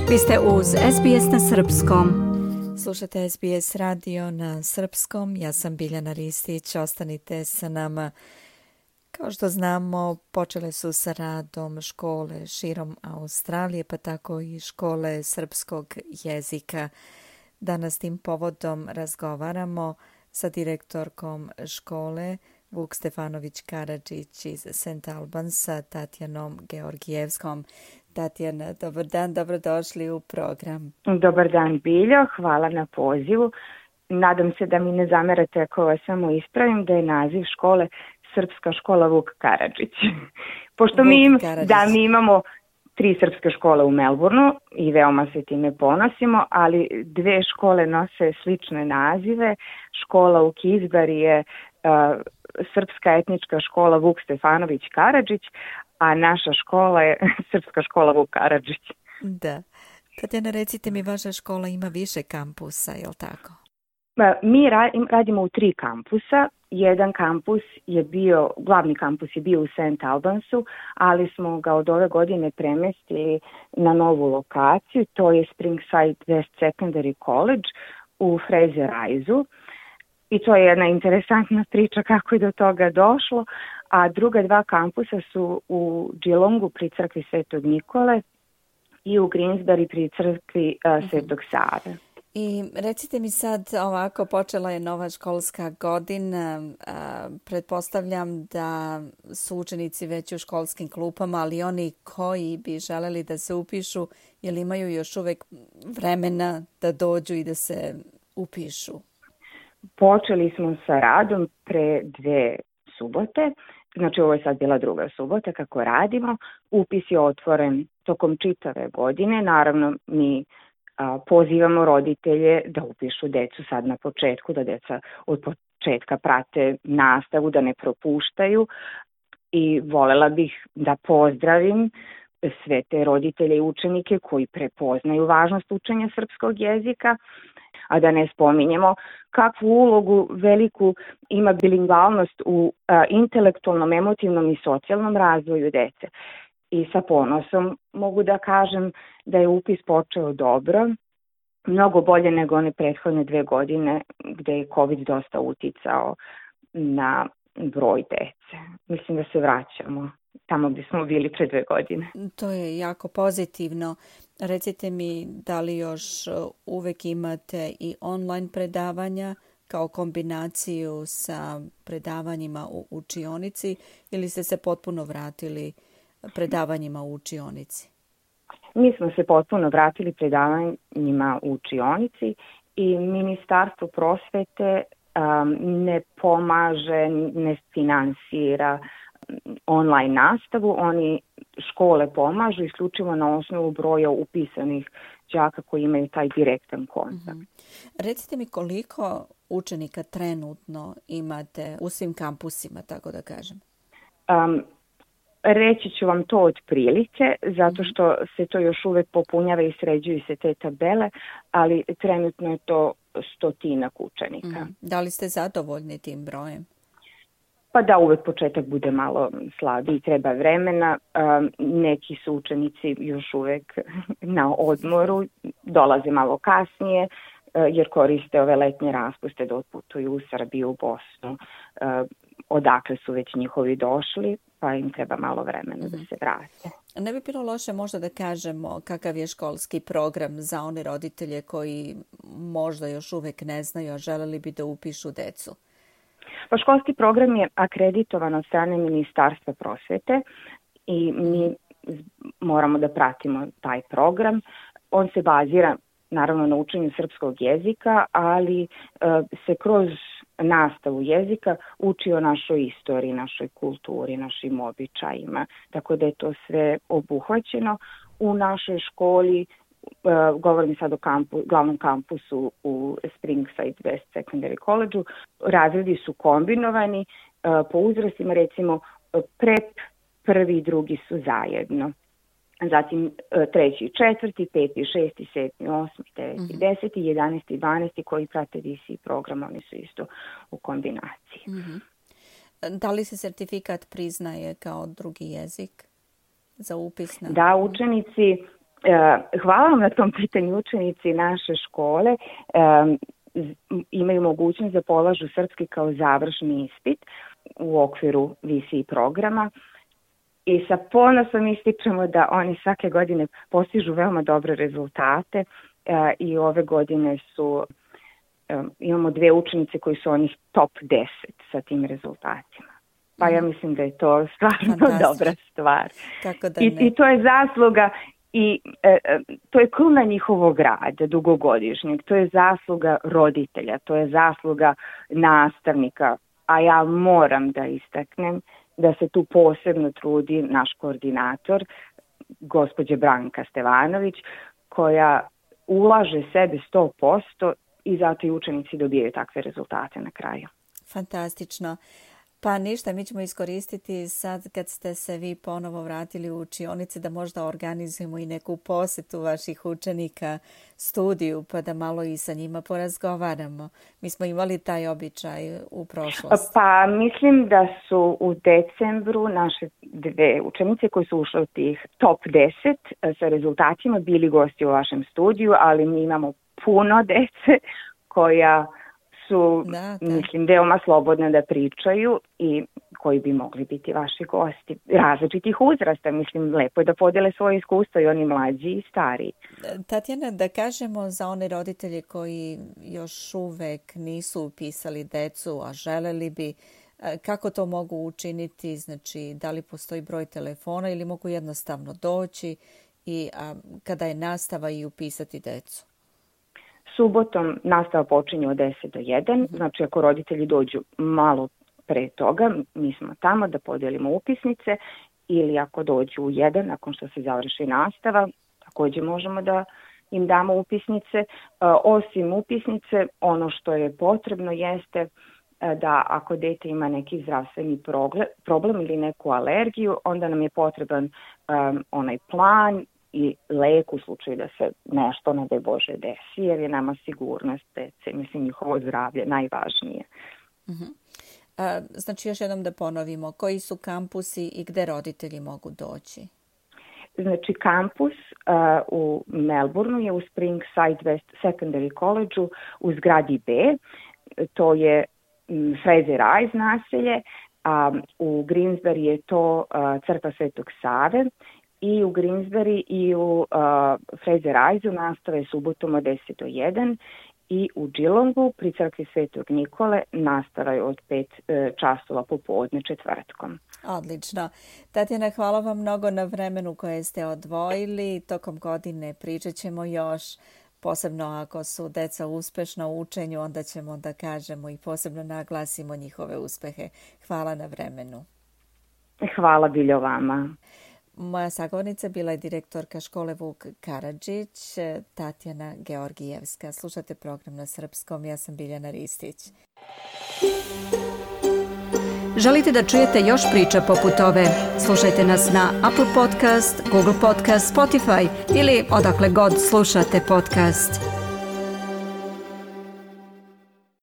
Vi ste uz SBS na srpskom. Slušate SBS radio na srpskom. Ja sam Biljana Ristić. Ostanite sa nama. Kao što znamo, počele su sa radom škole širom Australije, pa tako i škole srpskog jezika. Danas tim povodom razgovaramo sa direktorkom škole Vuk Stefanović Karadžić iz St. Albansa, Tatjanom Georgijevskom. Tatjana, dobar dan, dobrodošli u program. Dobar dan, Biljo, hvala na pozivu. Nadam se da mi ne zamerate ako vas samo ispravim da je naziv škole Srpska škola Vuk Karadžić. Pošto mi imamo 3 srpske škole u Melbourneu i veoma se time ponosimo, ali 2 škole nose slične nazive. Škola u Kizbari je Srpska etnička škola Vuk Stefanović Karadžić, a naša škola je Srpska škola Vuk Karadžić. Da. Tatjana, recite mi, vaša škola ima više kampusa, je li tako? Mi radimo u 3 kampusa. Jedan kampus je bio, glavni kampus je bio u St. Albansu, ali smo ga od ove godine premestili na novu lokaciju. To je Springside West Secondary College u Fraser Isle. I to je jedna interesantna priča kako je do toga došlo. A druga 2 kampusa su u Geelongu pri crkvi Svetog Nikole i u Greensbury pri crkvi Svetog Save. I recite mi sad ovako, počela je nova školska godina, pretpostavljam da su učenici već u školskim klupama, ali oni koji bi želeli da se upišu, jel imaju još uvek vremena da dođu i da se upišu? Počeli smo sa radom pre 2 subote, znači ovo je sad bila 2. subota kako radimo. Upis je otvoren tokom čitave godine, naravno mi pozivamo roditelje da upišu decu sad na početku, da deca od početka prate nastavu, da ne propuštaju i volela bih da pozdravim sve te roditelje i učenike koji prepoznaju važnost učenja srpskog jezika, a da ne spominjemo kakvu ulogu veliku ima bilingvalnost u intelektualnom, emotivnom i socijalnom razvoju dece. I sa ponosom mogu da kažem da je upis počeo dobro, mnogo bolje nego one prethodne 2 godine gde je COVID dosta uticao na broj dece. Mislim da se vraćamo tamo gdje smo bili pre 2 godine. To je jako pozitivno. Recite mi, da li još uvek imate i online predavanja kao kombinaciju sa predavanjima u učionici ili ste se potpuno vratili predavanjima u učionici? Mi smo se potpuno vratili predavanjima u učionici i Ministarstvo prosvete ne pomaže, ne finansira online nastavu. Oni škole pomažu isključivo na osnovu broja upisanih đaka koji imaju taj direktan kontakt. Recite mi koliko učenika trenutno imate u svim kampusima, tako da kažem? Reći ću vam to otprilike, zato što se to još uvek popunjava i sređuju se te tabele, ali trenutno je to 100-ak učenika. Da li ste zadovoljni tim brojem? Pa da, uvek početak bude malo slabiji, treba vremena. Neki su učenici još uvek na odmoru, dolaze malo kasnije, jer koriste ove letnje raspuste da otputuju u Srbiju, u Bosnu, odakle su već njihovi došli, pa im treba malo vremena da se vrate. Ne bi bilo loše možda da kažemo kakav je školski program za one roditelje koji možda još uvek ne znaju, a želeli bi da upišu decu? Pa školski program je akreditovan od strane Ministarstva prosvete i mi moramo da pratimo taj program. On se bazira naravno na učenju srpskog jezika, ali se kroz nastavu jezika uči o našoj istoriji, našoj kulturi, našim običajima. Tako da je to sve obuhvaćeno u našoj školi. Govorim sad o glavnom kampusu u Springside West Secondary College-u. Razredi su kombinovani po uzrastima, recimo prep, 1. i 2. su zajedno. Zatim 3. i 4., 5. i 6., 7., 8., 9. i 10., 11. i 12. koji prate DC program, oni su isto u kombinaciji. Da li se sertifikat priznaje kao drugi jezik za upis? Da, učenici Hvala vam na tom pitanju. Učenici naše škole imaju mogućnost da polažu srpski kao završni ispit u okviru VC programa i sa ponosom ističemo da oni svake godine postižu veoma dobre rezultate i ove godine imamo 2 učenice koji su onih top 10 sa tim rezultatima. Pa ja mislim da je to stvarno dobra stvar. I to je zasluga i to je kruna njihovog rada dugogodišnjeg, to je zasluga roditelja, to je zasluga nastavnika, a ja moram da istaknem da se tu posebno trudi naš koordinator, gospođa Branka Stevanović, koja ulaže sebe 100% i zato i učenici dobijaju takve rezultate na kraju. Fantastično. Pa ništa, mi ćemo iskoristiti sad kad ste se vi ponovo vratili u učionice da možda organizujemo i neku posjetu vaših učenika studiju pa da malo i sa njima porazgovaramo. Mi smo imali taj običaj u prošlosti. Pa mislim da su u decembru naše 2 učenice koje su ušle u tih top 10 sa rezultatima bili gosti u vašem studiju, ali mi imamo puno dece koja su, mislim, veoma slobodne da pričaju i koji bi mogli biti vaši gosti. Različitih uzrasta, mislim, lepo je da podele svoje iskustvo i oni mlađi i stariji. Tatjana, da kažemo za one roditelje koji još uvek nisu upisali decu, a želeli bi, kako to mogu učiniti, znači da li postoji broj telefona ili mogu jednostavno doći i kada je nastava i upisati decu? Subotom nastava počinje od 10 do 1, znači ako roditelji dođu malo pre toga, mi smo tamo da podelimo upisnice ili ako dođu u 1, nakon što se završi nastava, također možemo da im damo upisnice. Osim upisnice, ono što je potrebno jeste da ako dete ima neki zdravstveni problem ili neku alergiju, onda nam je potreban onaj plan i lek u slučaju da se nešto, ne daj Bože, desi, jer je nama sigurnost dece, mislim, njihovo zdravlje najvažnije. Znači, još jednom da ponovimo, koji su kampusi i gde roditelji mogu doći? Znači, kampus u Melbourneu je u Springside West Secondary College-u u zgradi B, to je Fraser Rise naselje, a u Greensbury je to crkva Svetog Save, i u Greensbury i u Fraser Rise-u nastave subotom od 10 do 1 i u Geelongu pri crkvi Svetog Nikole nastava je od 5 časova popodne četvrtkom. Odlično. Tatjana, hvala vam mnogo na vremenu koje ste odvojili. Tokom godine pričat ćemo još, posebno ako su deca uspešna u učenju, onda ćemo da kažemo i posebno naglasimo njihove uspehe. Hvala na vremenu. Hvala Biljo vama. Moja sagovornica bila je direktorka škole Vuk Karadžić, Tatjana Georgijevska. Slušate program na srpskom, ja sam Biljana Ristić. Želite da čujete još priča poput ove? Slušajte nas na Apple Podcast, Google Podcast, Spotify ili odakle god slušate podcast.